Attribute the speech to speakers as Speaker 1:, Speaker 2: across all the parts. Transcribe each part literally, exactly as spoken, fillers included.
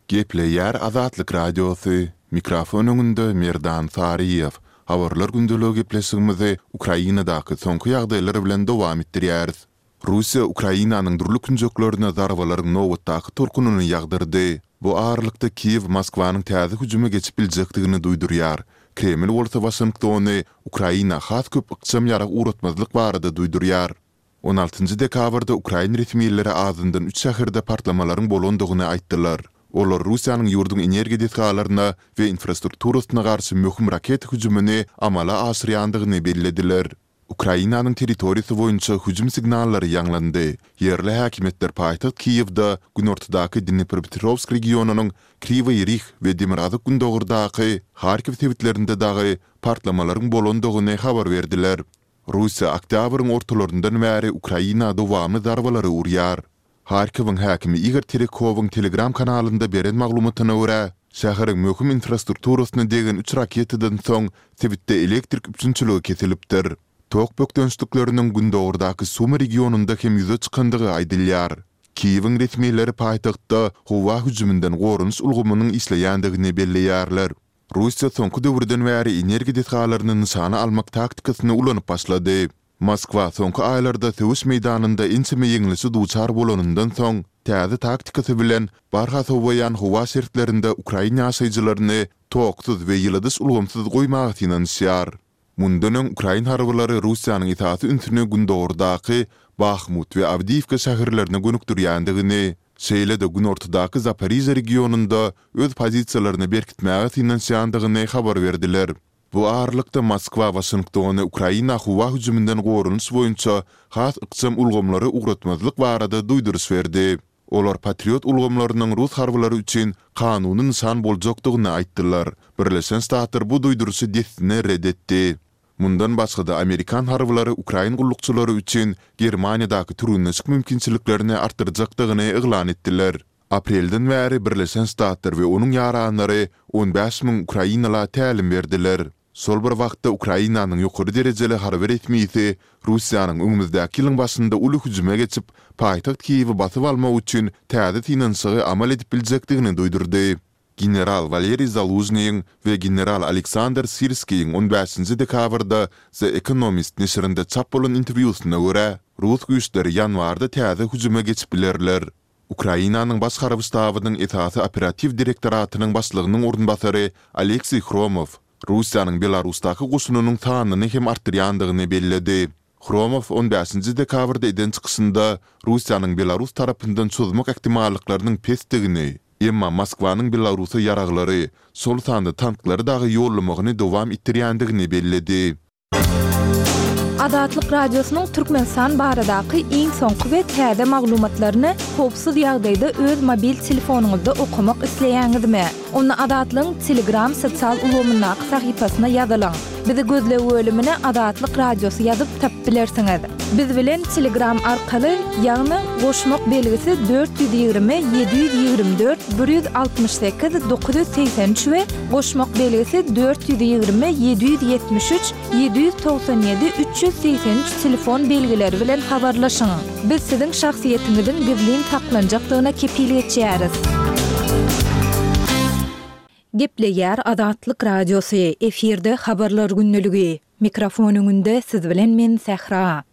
Speaker 1: Gepleýär Azatlyk Radiosy, mikrofon öňünde Merdan Saryýew. Habarlar gündeligi gepleşigimizi Ukrainadaky soňky ýagdaýlar bilen dowam etdirýäris. Russiýa Ukrainanyň dürli künjeklerine zarbalaryň nobatdaky tolkunyny ýagdyrdy. Bu aralykda Kiýew Moskwanyň täze hüjüme geçip biljekdigini duýdurýar. Kreml bolsa Waşingtony Ukraina has köp ykjam ýarag ugratmazlyk barada duýdurýar. On altynjy dekabrda ukrain resmileri azyndan üç şäherde partlamalaryň bolandygyny aýtdylar. Olar Russiýanyň ýurduň energiýa desgalaryna we infrastrukturasyna garşy möhüm raketa hüjümini amala aşyrýandygyny bellediler. Ukrainanyň territoriýasy boýunça hüjüm signallary ýaňlandy. Ýerli häkimiýetler paýtagt Kiýewde, günortadaky Dnepropetrowsk regionynyň Kriwoý Rih we demirgazyk-gündogardaky Harkiw sebitlerinde dagy partlamalaryň bolandygyny habar berdiler. Russiýa oktýabryň ortalaryndan bäri Ukraina dowamly zarbalary urýar. Harkowyň häkimi Igor Terekowyň Telegram kanalynda beren maglumatyna görä, şäheriň möhüm infrastrukturasyna degen üç raketadan soň sebitde elektrik üpjünçiligi kesilipdir. Tok bökdençlikleriniň gündogardaky Sumy regionynda hem ýüze çykandygy aýdylýar. Kiýewiň resmileri paýtagtda howa hüjüminden goranyş ulgamynyň işleýändigini belleýärler. Russiýa soňky döwürden bäri energiýa desgalaryny nyşana almak taktikasyny ulanyp başlady. Moskwa soňky aýlarda söweş meýdanynda ençeme ýeňlişe duçar bolanyndan soň, täze taktikasy bilen barha sowaýan howa şertlerinde ukrain ýaşaýjylaryny toksuz we ýyladyş ulgamsyz goýmaga synanyşýar. Mundan öň ukrain harbylary Russiýanyň esasy ünsüni gündogardaky Bahmut we Awdiýiwka şäherlerine gönükdirýändigini, şeýle-de günortadaky Zaporižýa regionynda öz pozisiýalaryny berkitmäge synanyşýandygyny habar berdiler. Bu aralykda Moskwa Waşingtony Ukraina howa hüjüminden goranyş boýunça has ykjam ulgamlary ugratmazlyk barada duýduryş berdi. Olar Patriot ulgamlarynyň rus harbylary üçin kanuny nyşan boljakdygyny aýtdylar. Birleşen Ştatlar bu duýduryşy dessine ret etdi. Mundan başga-da, amerikan harbylary ukrain gullukçylary üçin Germaniýadaky türgenleşik mümkinçiliklerini artdyrjakdygyny yglan etdiler. Aprelden bäri Birleşen Ştatlar we onuň ýaranlary on bäş müň ukrainala tälim berdiler. Şol bir wagtda Ukrainanyň ýokary derejeli harby resmisi Russiýanyň öňümizdäki ýylyň başynda uly hüjüme geçip, paýtagt Kiýewi basyp almak üçin täze synanyşygy amal edip biljekdigini duýdurdy. General Waleriý Zalužnyýyň we general Aleksandr Sirskiýiň on bäşinji dekabrda The Economist neşirinde çap bolan interwýusyna görä, rus güýçleri ýanwarda täze hüjüme geçip bilerler. Ukrainanyň Baş harby ştabynyň esasy operatiw direktoratynyň başlygynyň orunbasary Oleksiý Hromow Russiýanyň Belarusdaky goşunynyň sanyny hem artdyrýandygyny belledi. Hromow on bäşinji dekabrda eden çykyşynda Russiýanyň Belarus tarapyndan çozmak ähtimallyklarynyň pesdigini, emma Moskwanyň Belarusa ýaraglary, şol sanda tanklary dagy ýollamagyny dowam etdirýändigini belledi.
Speaker 2: Azatlyk Radiosynyň Türkmenistan baradaky iň soňky we täze maglumatlaryny howpsuz ýagdaýda öz mobil telefonyňyzda okamak isleýäňizmi? Onda Azatlygyň Telegram sosial ulgamyndaky sahypasyna ýazylyň. Bizi gözleg bölümine Azatlyk Radiosy ýazyp tapyp bilersiňiz. Biz bilen Telegram arkaly, ýagny goşmak belgisi dört ýüz ýigrimi ýedi ýüz ýigrimi dört bir ýüz altmyş sekiz dokuz ýüz segsen üç we goşmak belgisi dört ýüz ýigrimi ýedi ýüz ýetmiş üç ýedi ýüz togsan ýedi üç ýüz segsen üç telefon belgileri bilen habarlaşyň. Biz siziň şahsyýetiňiziň gizlin saklanjakdygyna kepil geçýäris. Gepleýär Azatlyk Radiosy, efirde Habarlar gündeligi. Mikrofon öňünde siz bilen men Sähra.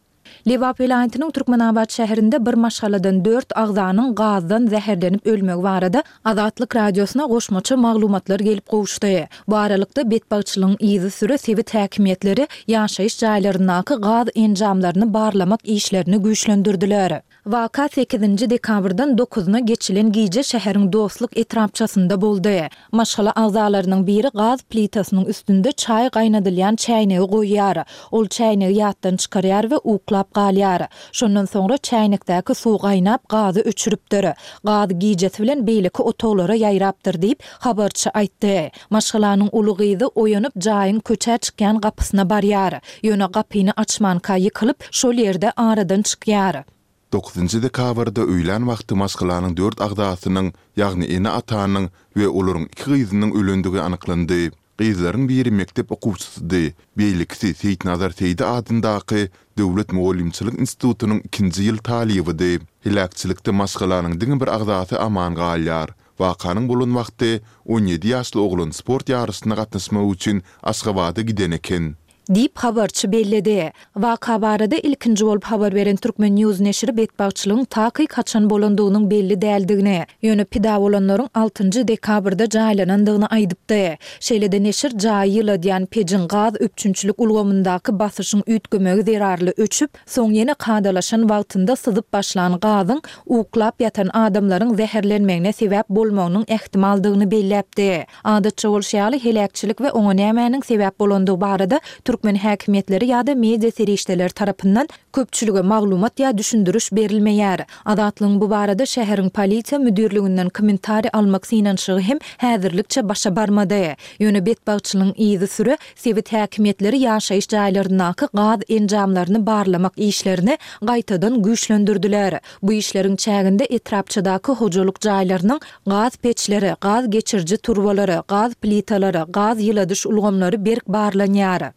Speaker 2: Lebap welaýatynyň Türkmenabat şäherinde bir maşgaladan dört agzanyň gazdan zäherlenip ölmegi barada Azatlyk Radiosyna goşmaça maglumatlar gelip gowuşdy. Bu aralykda, betbagtçylygyň yzysüre sebit häkimiýetleri ýaşaýyş jaýlaryndaky gaz enjamlaryny barlamak işlerini güýçlendirdiler. Waka sekizinji dekabrdan dokuzyna geçilen gije şäheriň Dostluk etrapçasynda boldy. Maşgala agzalarynyň biri gaz plitasynyň üstünde çaý gaýnadylýan çäýnegi goýýar. Ol çäýnegi ýatdan çykarýar we uklap galýar. Şondan soňra çäýnekdäki suw gaýnap, gazy öçüripdir. Gaz gijesi bilen beýleki otaglara ýaýrapdyr diýip, habarçy aýtdy. Maşgalanyň uly gyzy oýanyp, jaýyň köçä çykýan gapysyna barýar. Ýöne gapyny açmanka ýykylyp, şol ýerde aradan çykýar.
Speaker 1: Dokuzynjy dekabrda öýlän wagty maşgalanyň dört agzasynyň, ýagny ene-atanyň we olaryň iki gyzynyň ölendigi anyklandy. Gyzlaryň biri mekdep okuwçysydy, beýlekisi Seýitnazar Seýdi adyndaky Döwlet mugallymçylyk institutynyň ikinji ýyl talybydy. Heläkçilikde maşgalanyň diňe bir agzasy aman galýar. Wakanyň bolan wagty on ýedi ýaşly oglan sport ýaryşyna gatnaşmak üçin Aşgabada giden eken.
Speaker 2: Diýip, habarçy belledi. Waka barada ilkinji bolup habar beren Turkmen. News neşiri betbagtçylygyň takyk haçan bolandygynyň belli däldigini, ýöne pida bolanlaryň altynjy dekabrda jaýlanandygyny aýdypdy. Şeýle-de neşir jaýy ýyladýan pejiň gaz üpjünçilik ulgamyndaky basyşyň üýtgemegi zerarly öçüp, soň ýene kadalaşan wagtynda syzyp başlan gazyň uklap ýatan adamlaryň zäherlenmegine sebäp bolmagynyň ähtimaldygyny belläpdi. Adatça bolşy ýaly, heläkçilik we oňa nämäniň sebäp bolandygy barada türkmen häkimiýetleri ýa-da media serişdeleri tarapyndan köpçülige maglumat ýa düşündiriş berilmeýär. Azatlygyň bu barada şäheriň polisiýa müdirliginden kommentariý almak synanyşygy hem häzirlikçe başa barmady. Ýöne betbagtçylygyň yzysüre sebit häkimiýetleri ýaşaýyş jaýlaryndaky gaz enjamlaryny barlamak işlerini gaýtadan güýçlendirdiler. Bu işleriň çäginde etrapçadaky hojalyk jaýlarynyň gaz peçleri, gaz geçiriji turbalary, gaz plitalary, gaz ýyladyş ulgamlary berk barlanýar.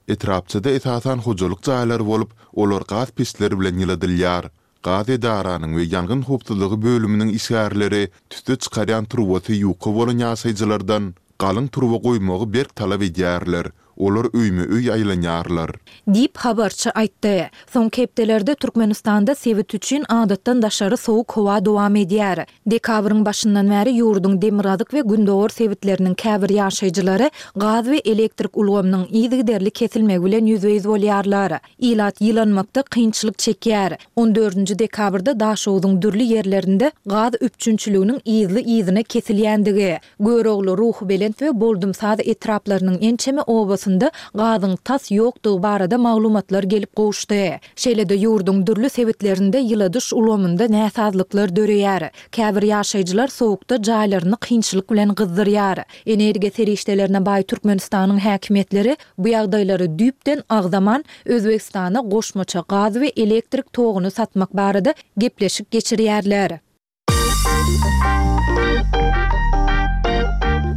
Speaker 1: Etrapçada esasan hojalyk jaýlary bolup, olar gaz peçleri bilen ýyladylýar. Gaz edaranyň we ýangyn howpsuzlygy bölüminiň işgärleri tüsse çykarýan turbasy ýuka bolan ýaşaýjylardan galyň turba goýmagy berk talap edýärler. Olar öýme-öý aýlanýarlar.
Speaker 2: Diýip, habarçy aýtdy. Soňky hepdelerde Türkmenistanda sebit üçin adatdan daşary sowuk howa dowam edýär. Dekabryň başyndan bäri ýurduň demirgazyk we gündogar sebitleriniň käbir ýaşaýjylary gaz we elektrik ulgamynyň yzygiderli kesilmegi bilen ýüzbe-ýüz bolýarlar. Ilat ýylanmakda kynçylyk çekýär. On dördünji dekabrda Daşogzuň dürli ýerlerinde gaz üpjünçiliginiň yzly-yzyna kesilýändigi, Görogly, Ruhubelent we Boldumsaz etraplarynyň ençeme obasynda gazyň tas ýokdugy barada maglumatlar gelip gowuşdy. Şeýle-de ýurduň dürli sebitlerinde ýyladyş ulgamynda näsazlyklar döreýär. Käbir ýaşaýjylar sowukda jaýlaryny kynçylyk bilen gyzdyrýar. Energiýa serişdelerine baý Türkmenistanyň häkimiýetleri bu ýagdaýlary düýpden agzaman, Özbegistana goşmaça gaz we elektrik toguny satmak barada gepleşik geçirýärler.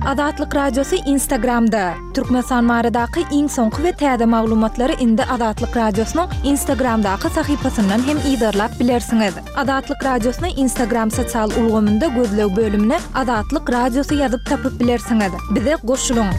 Speaker 2: Azatlyk Radiosy Instagramda! Türkmenistan baradaky iň soňky we täze maglumatlary indi Azatlyk Radiosynyň Instagramdaky sahypasyndan hem yzarlap bilersiňiz. Azatlyk Radiosyny Instagram sosial ulgamynda gözleg bölümine Azatlyk Radiosy ýazyp tapyp bilersiňiz. Bize goşulyň!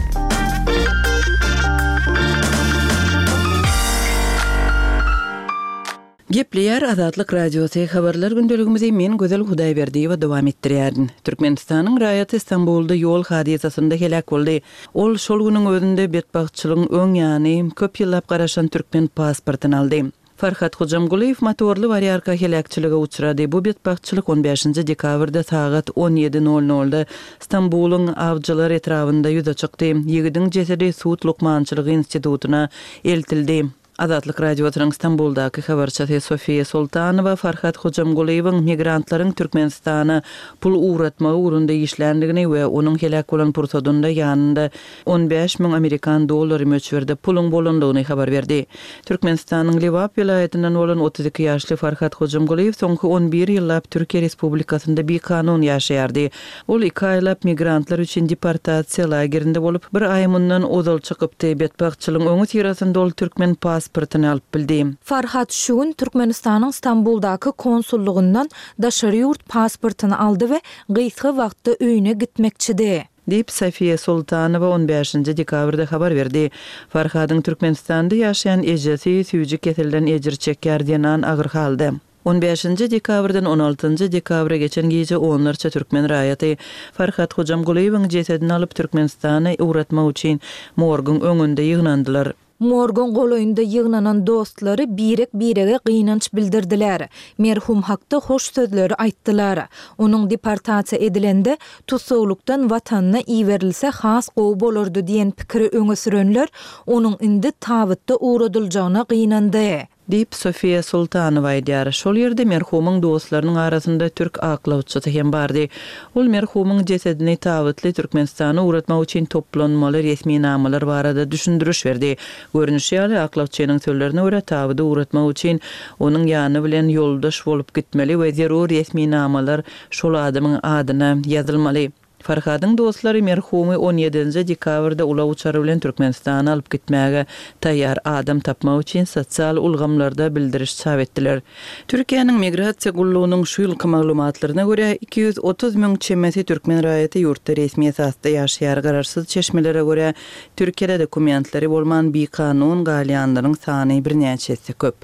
Speaker 3: Gepleýär Azatlyk Radiosy, Habarlar gündeligimizi men Gözel Hudaýberdiýewa dowam etdirýärin. Türkmenistanyň raýaty Stambulda ýol hadysasynda heläk boldy. Ol şol günüň özünde betbagtçylygyň öň ýany köp ýyllap garaşan türkmen pasportyny aldy. Farhat Hojamgulyýew motorly barýarka heläkçilige uçrady. Bu betbagtçylyk on bäşinji dekabrda sagat on ýedi nol nolda Stambulyň Awjylar etrabynda ýüze çykdy. Ýigidiň jesedi sud lukmançylygy institutyna eltildi. Azatlyk Radiosynyň Stambuldaky habarçysy Sofiýa Sultanowa Farhat Hojamgulyýewiň migrantlaryň Türkmenistana pul ugratmagy ugrunda işländigini we onuň heläk bolan pursadynda ýanynda on bäş müň amerikan dollary möçberde puluň bolandygyny habar berdi. Türkmenistanyň Lebap welaýatyndan bolan otuz iki ýaşly Farhat Hojamgulyýew soňky on bir ýyllap Türkiýe Respublikasynda bikanun ýaşaýardy. Ol iki aýlap migrantlar üçin deportasiýa lagerinde bolup, bir aý mundan ozal çykypdy. Betbagtçylygyň öňüsyrasynda ol türkmen pasportyny alyp bildi.
Speaker 2: Farhat şu gün Türkmenistanyň Stambuldaky konsullygyndan daşary ýurt pasportyny aldy we gysga wagtda öýüne gitmekçidi.
Speaker 3: Diýip, Sofiýa Sultanowa on bäşinji dekabrda habar berdi. Farhadyň Türkmenistanda ýaşaýan ejesi süýji keselden ejir çekýär, zenan agyr halda. On bäşinji dekabrdan on altynjy dekabra geçen gije onlarça türkmen raýaty Farhat Hojamgulyýewiň jesedini alyp, Türkmenistana ugratmak üçin morguň öňünde ýygnandylar.
Speaker 2: Morguň golaýynda ýygnanan dostlary birek-birege gynanç bildirdiler. Merhum hakda hoş sözleri aýtdylar. Onuň deportasiýa edilende, tussaglykdan watanyna iberilse has gowy bolardy diýen pikiri öňe sürenler, onuň indi tabytda ugradyljagyna gynandy.
Speaker 3: Diýip, Sofiýa Sultanowa aýdýar. Şol ýerde merhumyň dostlarynyň arasynda türk aklawçysy hem bardy. Ol merhumyň jesedini tabytly Türkmenistana ugratmak üçin toplanmaly resminamalar barada düşündiriş berdi. Görnüşi ýaly, aklawçynyň sözlerine görä, tabydy ugratmak üçin onuň ýany bilen ýoldaş bolup gitmeli we zerur resminamalar şol adamyň adyna ýazylmaly. Farhadyň dostlary merhumy on ýedinji dekabrda ulag uçary bilen Türkmenistana alyp gitmäge taýýar adam tapmak üçin sosial ulgamlarda bildiriş çap etdiler. Türkiýäniň Migrasiýa gullugynyň şu ýylky maglumatlaryna görä, iki ýüz otuz müň çemesi türkmen raýaty ýurtda resmi esasda ýaşaýar. Garaşsyz çeşmelere görä, Türkiýede dokumentleri bolman bikanun galýanlaryň sany birnäçe esse köp.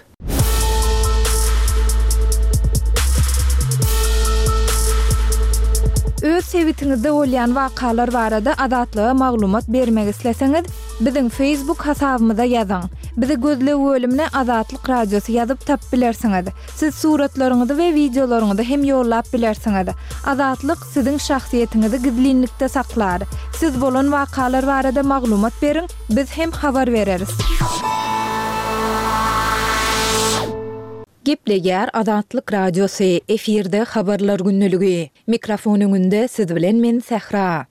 Speaker 2: Öz sebitiňizde bolýan wakalar barada Azatlyga maglumat bermek isleseňiz, biziň Facebook hasabymyza ýazyň. Bizi gözleg bölümine Azatlyk Radiosy ýazyp tapyp bilersiňiz. Siz suratlaryňyzy we wideolaryňyzy hem ýollap bilersiňiz. Azatlyk siziň şahsyýetiňizi gizlinlikde saklar. Siz bolan wakalar barada maglumat beriň, biz hem habar bereris. Gepleýär Azatlyk Radiosy, efirde habarlar gündeligi. Mikrofon öňünde siz bilen men Sähra.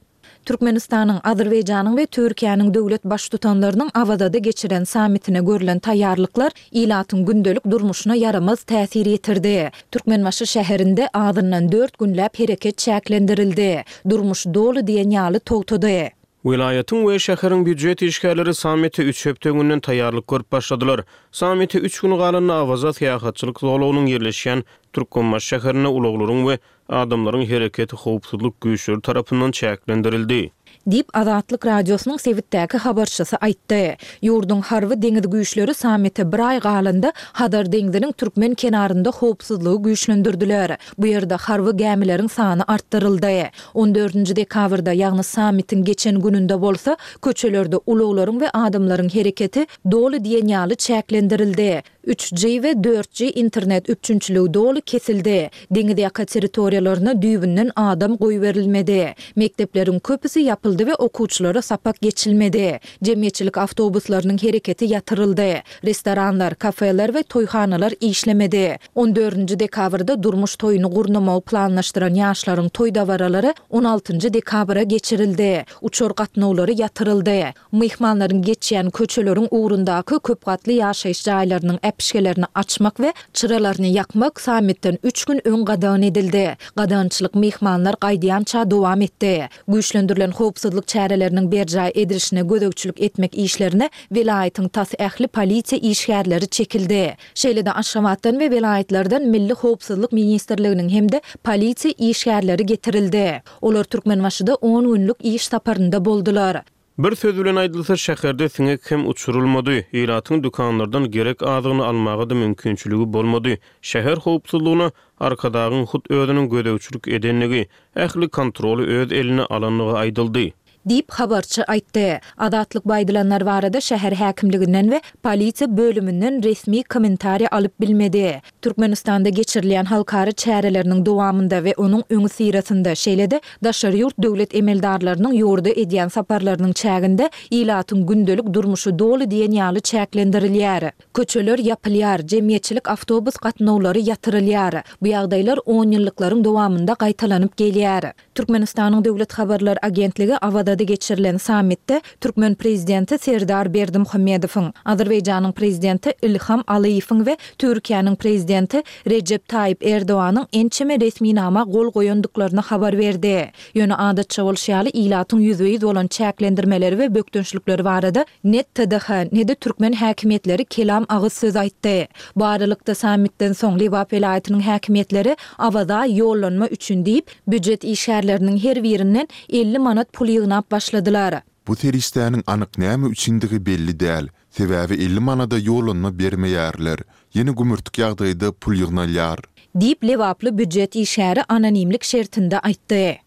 Speaker 2: Türkmenistanyň, Azerbaýjanyň we Türkiýäniň döwlet baştutanlarynyň Awazada geçiren sammitine görlen taýýarlyklar ilatyň gündelik durmuşyna ýaramaz täsir ýetirdi. Türkmenbaşy şäherinde azyndan dört günläp hereket çäklendirildi. Durmuş doly diýen ýaly togtady.
Speaker 4: Welaýatyň we şäheriň býujet işgärleri sammite üç hepde öňünden taýýarlyk görüp başladylar. Sammite üç gün galanda Awaza syýahatçylyk zolagynyň ýerleşýän Türkmenbaşy şäherinde ulaglaryň we adamlaryň hereketi howpsuzlyk güýçleri tarapyndan çäklendirildi.
Speaker 2: Diýip, Azatlyk Radiosynyň sebitdäki habarçysy aýtdy. Ýurduň harby deňiz güýçleri sammite bir aý galanda Hazar deňziniň türkmen kenarynda howpsuzlygy güýçlendirdiler. Bu ýerde harby gämileriň sany artdyryldy. On dördünji dekabrda, ýagny sammitiň geçen gününde bolsa, köçelerde ulaglaryň we adamlaryň hereketi doly diýen ýaly çäklendirildi. Üç G we dört G internet üpjünçiligi doly kesildi. Deňiz ýaka territoriýalaryna düýbünden adam goýberilmedi. Mekdepleriň köpüsi ýapyldy we okuwçylara sapak geçilmedi. Jemgyýetçilik awtobuslarynyň hereketi ýatyryldy. Restoranlar, kafeler we toýhanalar işlemedi. On dördünji dekabrda durmuş toýuny gurnamagy planlaşdyran ýaşlaryň toý dabaralary on altynjy dekabra geçirildi. Uçar gatnawlary ýatyryldy. Myhmanlaryň geçýän köçeleriň ugrundaky köp gatly ýaşaýyş jaýlarynyň äpişgelerini açmak we çyralaryny ýakmak sammitden üç gün öň gadagan edildi. Gadagançylyk myhmanlar gaýdýança dowam etdi. Güýçlendirilen howpsuzlyk çäreleriniň berjaý edilişine gözegçilik etmek işlerine welaýatyň tas ähli polisiýa işgärleri çekildi. Şeýle-de Aşgabatdan we welaýatlardan Milli howpsuzlyk ministrliginiň hem-de polisiýa işgärleri getirildi. Olar Türkmenbaşyda on günlük iş saparynda boldular.
Speaker 4: Bir söz bilen aýdylsa, şäherde siňek hem uçurylmady. Ilatyň dükanlardan gerek azygyny almaga da mümkinçiligi bolmady. Şäher howpsuzlygyna Arkadagyň hut özüniň gözegçilik edenligi, ähli kontroly öz eline alanlygy aýdyldy.
Speaker 2: Diýip, habarçy aýtdy. Azatlyk bu aýdylanlar barada şäher häkimliginden we polisiýa bölüminden resmi kommentariýa alyp bilmedi. Türkmenistanda geçirilýän halkara çäreleriniň dowamynda we onuň öňüsyrasynda, şeýle-de daşary ýurt döwlet emeldarlarynyň ýurda edýän saparlarynyň çäginde ilatyň gündelik durmuşy doly diýen ýaly çäklendirilýär. Köçeler ýapylýar, jemgyýetçilik awtobus gatnawlary ýatyrylýar. Bu ýagdaýlar on ýyllyklaryň dowamynda gaýtalanyp gelýär. Türkmenistanyň Döwlet habarlar agentligi Awazada geçirilen sammitde türkmen prezidenti Serdar Berdimuhamedowyň, Azerbaýjanyň prezidenti Ilham Alyýewiň we Türkiýäniň prezidenti Rejep Taýyp Erdoganyň ençeme resminama gol goýandyklaryny habar berdi. Ýöne adatça bolşy ýaly ilatyň ýüzbe-ýüz bolan çäklendirmeleri we bökdençlikleri barada ne T D H, ne-de türkmen häkimiýetleri kelam agyz söz aýtdy. Bu aralykda sammitden soň Lebap welaýatynyň häkimiýetleri Awaza ýollanma üçin diýip, býujet işgärleriniň her birinden elli manat pul ýygnap başladylar.
Speaker 1: Bu serişdäniň anyk näme üçindigi belli däl, sebäbi elli manada ýollanma bermeýärler, ýene gümürtik ýagdaýda pul ýygnalýar.
Speaker 2: Diýip, lebaply býujet işgäri anonimlik şertinde aýtdy.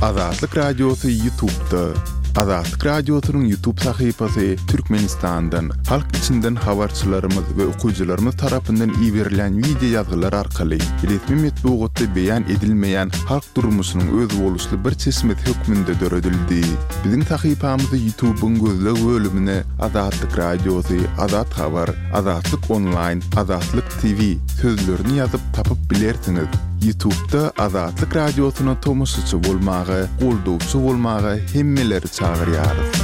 Speaker 1: Azatlyk Radiosy YouTube'da. Azatlyk Radiosynyň YouTube sahypasy Türkmenistandan, halk içinden habarçylarymyz we okyjylarymyz tarapyndan iberilen wideo ýazgylar arkaly resmi metbugatda beýan edilmeýän halk durmuşynyň özboluşly bir çeşmesi hökmünde döredildi. Biziň sahypamyzy YouTube'yň gözleg bölümine Azatlyk Radiosy, Azat Habar, Azatlyk Online, Azatlyk T V sözlerini ýazyp tapyp bilersiňiz. YouTube'da Azatlyk Radiosyna tomaşaçy bolmaga, goldawçy bolmaga hemmeleri çagyrýarys.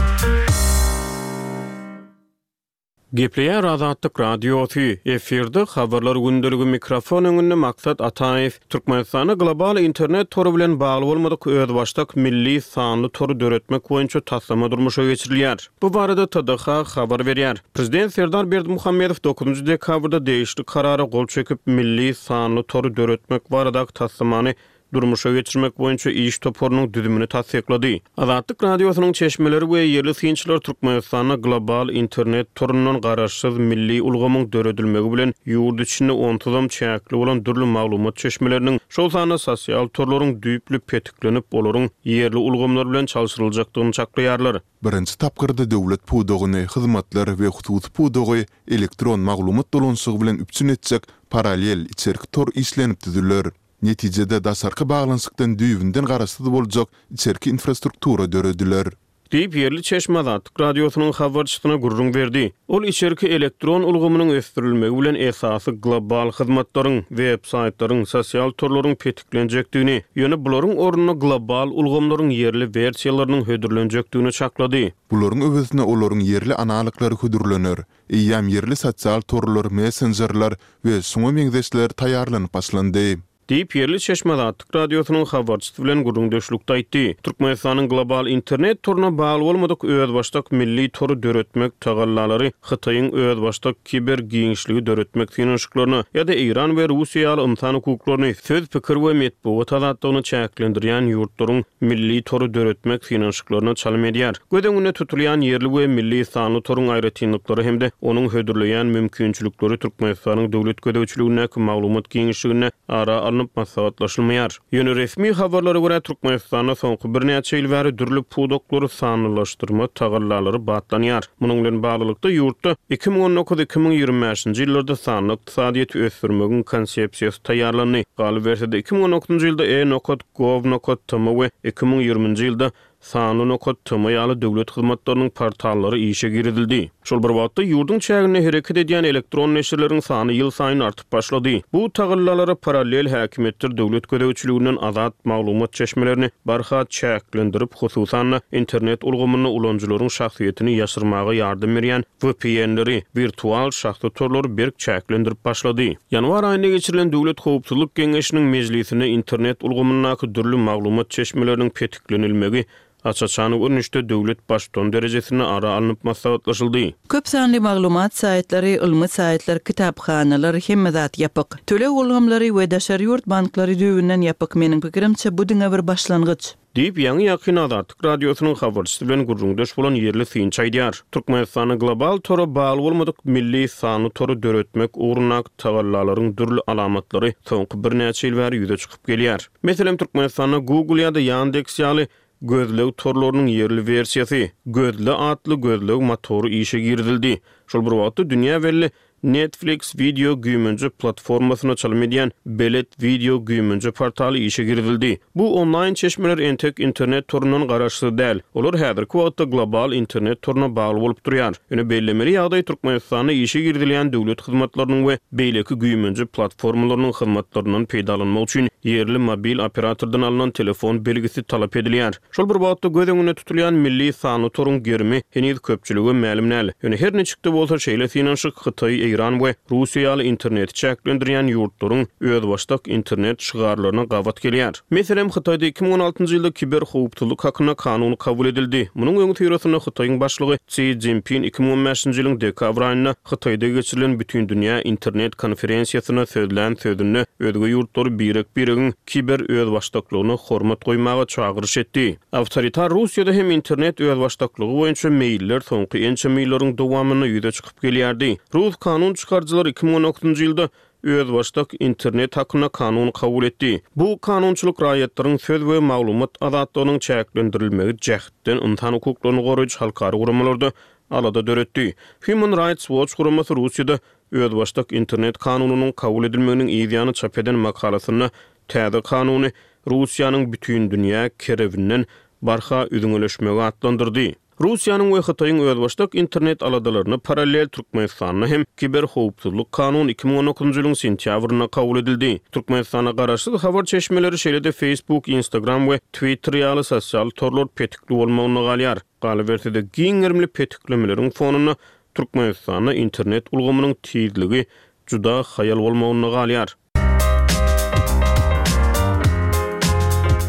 Speaker 4: Gepleýär Azatlyk Radiosy, efirde Habarlar gündeligi mikrofon öňünde Maksat Ataýew. Türkmenistanda global internet tory bilen bagly bolmadyk özbaşdak milli sanly tory döretmek boýunça taslama durmuşa geçirilýär. Bu barada T D H habar berýär. Prezident Serdar Berdimuhamedow dokuzynjy dekabrda degişli karara gol çekip, milli sanly tory döretmek baradaky taslamany durmuşa geçirmek boýunça iş toparynyň düzümini tassyklady. Azatlyk Radiosynyň çeşmeleri we ýerli synçylar Türkmenistanda global internet torundan garaşsyz milli ulgamyň döredilmegi bilen ýurt içinde onsuzam çäkli bolan dürli maglumat çeşmeleriniň, şol sanda sosial torlaryň düýpli petiklenip, olaryň ýerli ulgamlar bilen çalşyryljakdygyny çaklaýarlar.
Speaker 1: Birinji tapgyrda döwlet pudagyny, hyzmatlar we hususy pudagy elektron maglumat dolanyşygy bilen üpjün etjek parallel içerki tor işlenip düzüler. Netijede daşarky baglanyşykdan düýbünden garaşsyz boljak içerki infrastruktura dörediler.
Speaker 4: Diýip, ýerli çeşme Azatlyk Radiosynyň habarçysyna gürrüň berdi. Ol içerki elektron ulgamynyň ösdürilmegi bilen esasy global hyzmatlaryň, web-saýtlaryň, sosial torlaryň petiklenjekdigini, ýöne bularyň ornuna global ulgamlaryň ýerli wersiýalarynyň hödürlenjekdigini çaklady.
Speaker 1: Bularyň öwezine olaryň ýerli analoglary hödürlener. Eýýäm ýerli sosial torlar, messenjerler we şuňa meňzeşler taýýarlanyp başlandy.
Speaker 4: Diýip, ýerli çeşme Azatlyk Radiosynyň habarçysy bilen gürrüňdeşlikde aýtdy. Türkmenistanyň global internet toruna bagly bolmadyk özbaşdak milli tory döretmek tagallalary Hytaýyň özbaşdak kiber giňişligi döretmek synanyşyklaryna ýa-da Eýran we Russiýa ýaly ynsan hukuklaryny, söz, pikir we metbugat azatlygyny çäklendirýän ýurtlaryň milli tory döretmek synanyşyklaryna çalym edýär. Göz öňünde tutulýan ýerli we milli sanly toruň aýratynlyklary hem-de onuň hödürleýän mümkinçilikleri Türkmenistanyň döwlet gözegçiligindäki maglumat giňişliginde ara alnyp maslahatlaşylmaýar. Ýöne resmi habarlara görä, Türkmenistanda soňky birnäçe ýyl bäri dürli pudaklary sanlylaşdyrma tagallalary batlanýar. Munuň bilen baglylykda, ýurtda iki müň on dokuz-iki müň ýigrimi bäşinji ýyllarda sanly ykdysadyýeti ösdürmegiň konsepsiýasy taýýarlandy. Galyberse-de, iki müň on dokuzynjy ýylda e nokat gov nokat tm we iki müň ýigriminji ýylda sanly nokat tm ýaly döwlet hyzmatlarynyň portallary işe girizildi. Şol bir wagtda ýurduň çäginde hereket edýän elektron neşirleriň sany ýylsaýyn artyp başlady. Bu tagallalara parallel häkimiýetler döwlet gözegçiliginden azat maglumat çeşmelerini barha çäklendirip, hususan-da internet ulgamynda ulanyjylaryň şahsyýetini ýaşyrmaga ýardam berýän V P N-leri, wirtual şahsy torlary berk çäklendirip başlady. Ýanwar aýynda geçirilen Döwlet howpsuzlyk geňeşiniň mejlisinde internet ulgamyndaky dürli maglumat çeşmeleriniň petiklenilmegi aç-açan görnüşde döwlet baştutany derejesinde ara alnyp maslahatlaşyldy.
Speaker 3: Köp sanly maglumat saýtlary, ylmy saýtlar, kitaphanalar, hemme zat ýapyk. Töleg ulgamlary we daşary ýurt banklary düýbünden ýapyk. Meniň pikirimçe, bu diňe bir başlangyç.
Speaker 4: Diýip, ýaňy-ýakyn Azatlyk Radiosynyň habarçysy bilen gürrüňdeş bolan ýerli synçy aýdýar. Türkmenistanda global tora bagly bolmadyk milli sanly tory döretmek ugrundaky tagallalaryň dürli alamatlary soňky birnäçe ýyl bäri ýüze çykyp gelýär. Meselem, Türkmenistanda Google ýa-da Yandex ýaly gözleg torlarynyň ýerli wersiýasy, Gözle atly gözleg motory işe girizildi. Şol bir wagtda dünýä belli Netflix wideo güýmenje platformasyna çalym edýän Belet wideo güýmenje portaly işe girizildi. Bu onlaýn çeşmeler entek internet torundan garaşsyz däl. Olar häzirki wagtda global internet toruna bagly bolup durýar. Ýöne bellemeli ýagdaý, Türkmenistanda işe girizilýän döwlet hyzmatlarynyň we beýleki güýmenje platformalarynyň hyzmatlaryndan peýdalanmak üçin ýerli mobil operatordan alnan telefon belgisi talap edilýär. Şol bir wagtda göz öňünde tutulýan milli sanly toruň gerimi heniz köpçülige mälim däl. Ýöne her niçik-de bolsa şeýle synanyşyk Hytaý, Eýran we Russiýa ýaly interneti çäklendirýän ýurtlaryň özbaşdak internet şygarlaryna gabat gelýär. Meselem, Hytaýda iki müň on altynjy ýylda kiber howpsuzlyk hakynda kanun kabul edildi. Munuň öňüsyrasynda Hytaýyň başlygy Si Szinpin iki müň on bäşinji ýylyň dekabr aýynda Hytaýda geçirilen Bütindünýä internet konferensiýasynda sözlän sözünde özge ýurtlary birek-biregiň kiber özbaşdaklygyna hormat goýmaga çagyryş etdi. Awtoritar Russiýada hem internet özbaşdaklygy boýunça meýiller soňky ençeme ýyllaryň dowamynda ýüze çykyp gelýärdi. Rus kanun çykaryjylary iki müň on dokuzynjy ýylda özbaşdak internet hakynda kanun kabul etdi. Bu kanunçylyk raýatlaryň söz we maglumat azatlygynyň çäklendirilmegi jähtden ynsan hukuklaryny goraýjy halkara guramalarda alada döretdi. Human Rights Watch guramasy Russiýada özbaşdak internet kanunynyň kabul edilmeginiň yzýany çap eden makalasynda täze kanuny Russiýanyň bütün dünýä kerebinden barha üzňeleşmegi atlandyrdy. Russiýanyň we Hytaýyň özbaşdak internet aladalaryna parallel Türkmenistanda hem kiber howpsuzlyk kanuny iki müň on dokuzynjy ýylyň sentýabrynda kabul edildi. Türkmenistanda garaşsyz habar çeşmeleri, şeýle-de Facebook, Instagram we Twitter ýaly sosial torlar petikli bolmagynda galýar. Galyberse-de, giň gerimli petiklemeleriň fonunda Türkmenistanda internet ulgamynyň tizligi juda haýal bolmagynda galýar.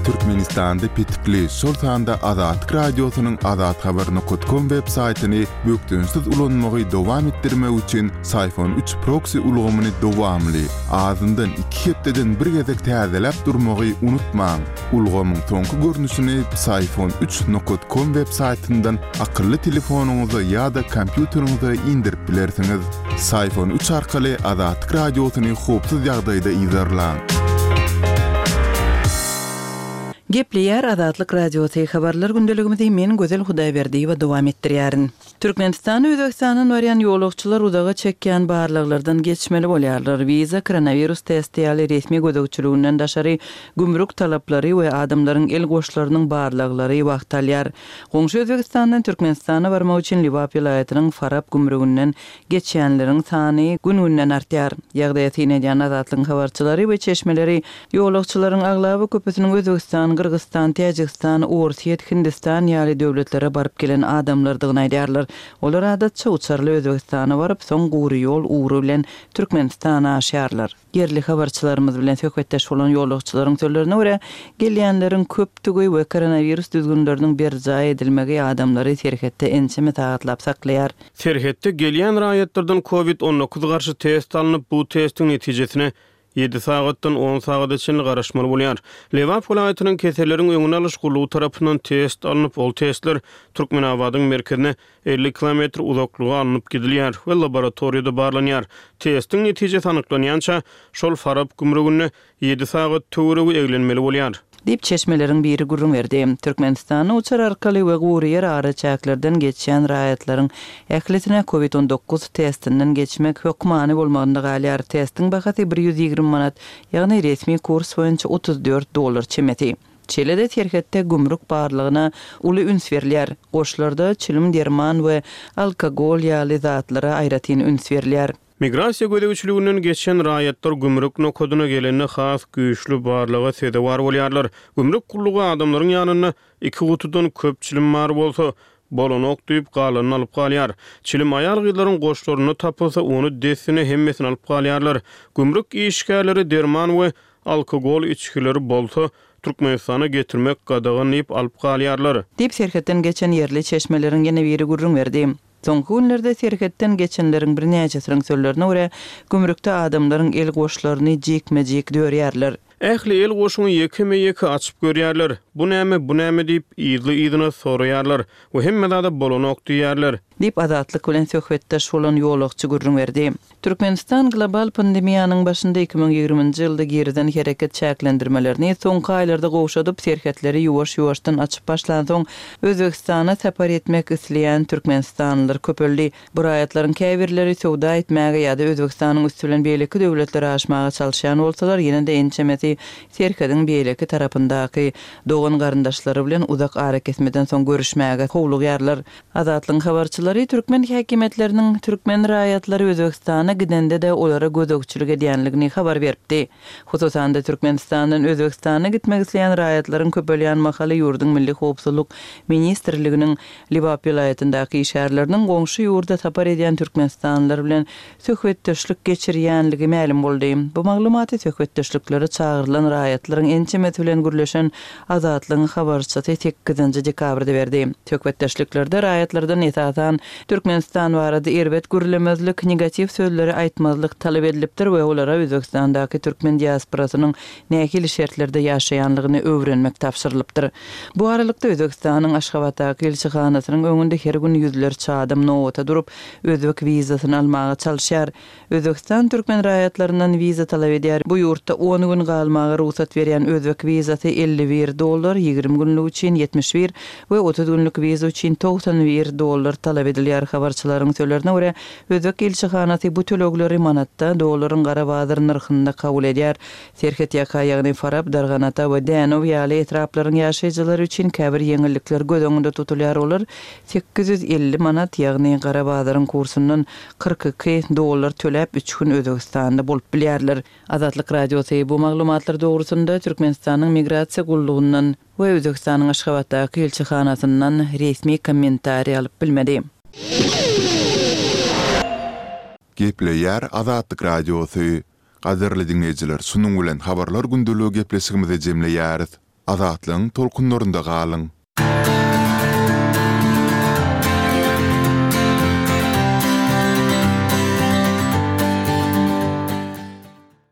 Speaker 1: Türkmenistanda petikli, şol sanda Azatlyk Radiosynyň azathabar nokat kom web saýtyny bökdençsiz ulanmagy dowam etdirmek üçin Syfon üç proksi ulgamyny dowamly, azyndan iki hepdeden bir gezek täzeläp durmagy unutmaň. Ulgamyň soňky görnüşini Syfon üç nokat kom web saýtyndan akylly telefonyňyza ýa-da kompýuteriňize indirip bilersiňiz. Syfon üç arkaly Azatlyk Radiosyny howpsuz ýagdaýda yzarlaň.
Speaker 3: Gepleýär Azatlyk Radiosy, habarlar gündeligimizi men Gözel Hudaýberdiýewa dowam etdirýärin. Türkmenistana Özbegistandan barýan ýolagçylar uzaga çekýän barlaglardan geçmeli bolýarlar. Wiza, koronawirus testi ýaly resmi gözegçiliginden daşary gümrük talaplary we adamlaryň el goşlarynyň barlaglary wagt alýar. Goňşy Özbegistandan Türkmenistana barmak üçin Lebap welaýatynyň Farap gümrüginden geçýänleriň sany gün-günden artýar. Ýagdaýa syn edýän Azatlygyň habarçylary we çeşmeleri ýolagçylaryň aglaba köpüsiniň Özbegistan, Gyrgyzystan, Täjigistan, Orsýet, Hindistan ýaly döwletlere baryp gelen adamlardygyny aýdýarlar. Olar adatça uçarly Özbegistana baryp, soň gury ýol ugry bilen Türkmenistana aşýarlar. Ýerli habarçylarymyz bilen söhbetdeş bolan ýolagçylaryň sözlerine görä, gelýänleriň köpdügi we koronawirus düzgünleriniň berjaý edilmegi adamlary serhetde ençeme sagatlap saklaýar.
Speaker 4: Serhetde gelýän raýatlardan covid on dokuz garşy test alnyp, bu testiň netijesine ýedi sagatdan on sagada çenli garaşmaly bolýar. Lebap welaýatynyň keselleriň öňüni alyş gullugy tarapyndan test alnyp, ol testler Türkmenabadyň merkezine elli kilometr uzaklyga alnyp gidilýär we laboratoriýada barlanýar. Testiň netijesi anyklanýança şol Farap gümrüginde ýedi sagat töweregi eglenmeli bolýar.
Speaker 3: Diýip çeşmeleriň biri gürrüň berdi. Türkmenistanda uçar arkaly we gury ýer araçäklerden geçýän raýatlaryň ählisine covid on dokuz testinden geçmek hökmany bolmagynda galýar. Testiň bahasy bir ýüz ýigrimi manat, ýagny resmi kurs boýunça otuz dört dollar çemesi. Şeýle-de serhetde gümrük barlygyna uly üns berilýär. Goşlarda çilim, derman we alkogol ýaly zatlara aýratyn üns berilýär.
Speaker 4: Migrasiýa gözegçiliginden geçen raýatlar gümrük nokadyna gelende has güýçli barlyga sezewar bolýarlar. Gümrük gullugy adamlaryň ýanynda iki gutudan köp çilim bar bolsa, bolanok diýip galanyny alyp galýar. Çilim aýal gyzlaryň goşlarynda tapylsa, ony dessine hemmesini alyp galýarlar. Gümrük işgärleri derman we alkogol içgileri bolsa, Türkmenistana getirmek gadagan diýip alyp galýarlar.
Speaker 3: Diýip serhetden geçen ýerli çeşmeleriň ýene biri gürrüň berdi. Soňky günlerde serhetden geçenleriň birnäçesiniň sözlerine görä, gümrükde adamlaryň el goşlaryny jikme-jik dörýärler.
Speaker 4: Ähli el goşuny ýekeme-ýeke açyp görýärler. Bu näme, bu näme diýip yzly-yzyna soraýarlar we hemme zada bolanok diýýärler.
Speaker 3: Diýip Azatlyk bilen söhbetdeş bolan ýolagçy gürrüň berdi. Türkmenistan global pandemiýanyň başynda iki müň ýigriminji ýylda girizen hereket çäklendirmelerini soňky aýlarda gowşadyp, serhetleri ýuwaş-ýuwaşdan açyp başlansoň, Özbegistana sapar etmek isleýän türkmenistanlylar köpeldi. Bu raýatlaryň käbirleri söwda etmäge ýa-da Özbegistanyň üsti bilen beýleki döwletlere aşmaga çalyşýan bolsalar, ýene-de ençemesi serhediň beýleki tarapyndaky dogan garyndaşlary bilen uzak arakesmeden soň görüşmäge howlugýarlar. Azatlygyň habarçylary türkmen häkimiýetleriniň türkmen raýatlary Özbegistana gidende-de olara gözegçilik edýänligini habar beripdi. Hususan-da Türkmenistandan Özbegistana gitmek isleýän raýatlaryň köpelýän mahaly ýurduň Milli Howpsuzlyk Ministrliginiň Lebap welaýatyndaky işgärleriniň goňşy ýurda sapar edýän türkmenistanlylar bilen söhbetdeşlik geçirýänligi mälim boldy. Bu maglumaty söhbetdeşliklere çagyrylan raýatlaryň ençemesi bilen gürleşen Azatlygyň habarçysy sekizinji dekabrda berdi. Söhbetdeşliklerde raýatlardan esasan Türkmenistan barada erbet gürlemezlik, negatiw sözleri aýtmazlyk talap edilipdir we olara Özbegistandaky türkmen diasporasynyň nähili şertlerde ýaşaýanlygyny öwrenmek tabşyrylypdyr. Bu aralykda Özbegistanyň Aşgabatdaky ilçihanasynyň öňünde her gün ýüzlerçe adam nobata durup, özbek wizasyny almaga çalyşýar. Özbegistan türkmen raýatlaryndan wiza talap edýär. Bu ýurtda on gün galmaga rugsat berýän özbek wizasy elli bir dollar, ýigrimi günlük üçin ýetmiş bir we otuz günlük wiza üçin togsan bir dollar talap edilýär. Habarçylaryň sözlerine görä, özbek ilçihanasy bu tölegleri manatda, dollaryň gara bazar nyrhynda kabul edýär. Serhet ýaka, ýagny Farap, Darganata we Dänow ýaly etraplaryň ýaşaýjylary üçin käbir ýeňillikler göz öňünde tutulýar. Olar sekiz ýüz elli manat, ýagny gara bazaryň kursundan kyrk iki dollar töläp üç gün Özbegistanda bolup bilýärler. Azatlyk Radiosy bu maglumatlar dogrusynda Türkmenistanyň Migrasiýa gullugyndan we Özbegistanyň Aşgabatdaky ilçihanasyndan resmi kommentariý alyp bilmedi.
Speaker 1: Gepleýär Azatlyk Radiosy. Gadyrly diňleýjiler şunuň bilen Habarlar gündeligi gepleşigimizi jemleýäris. Azatlygyň tolkunlarynda galyň!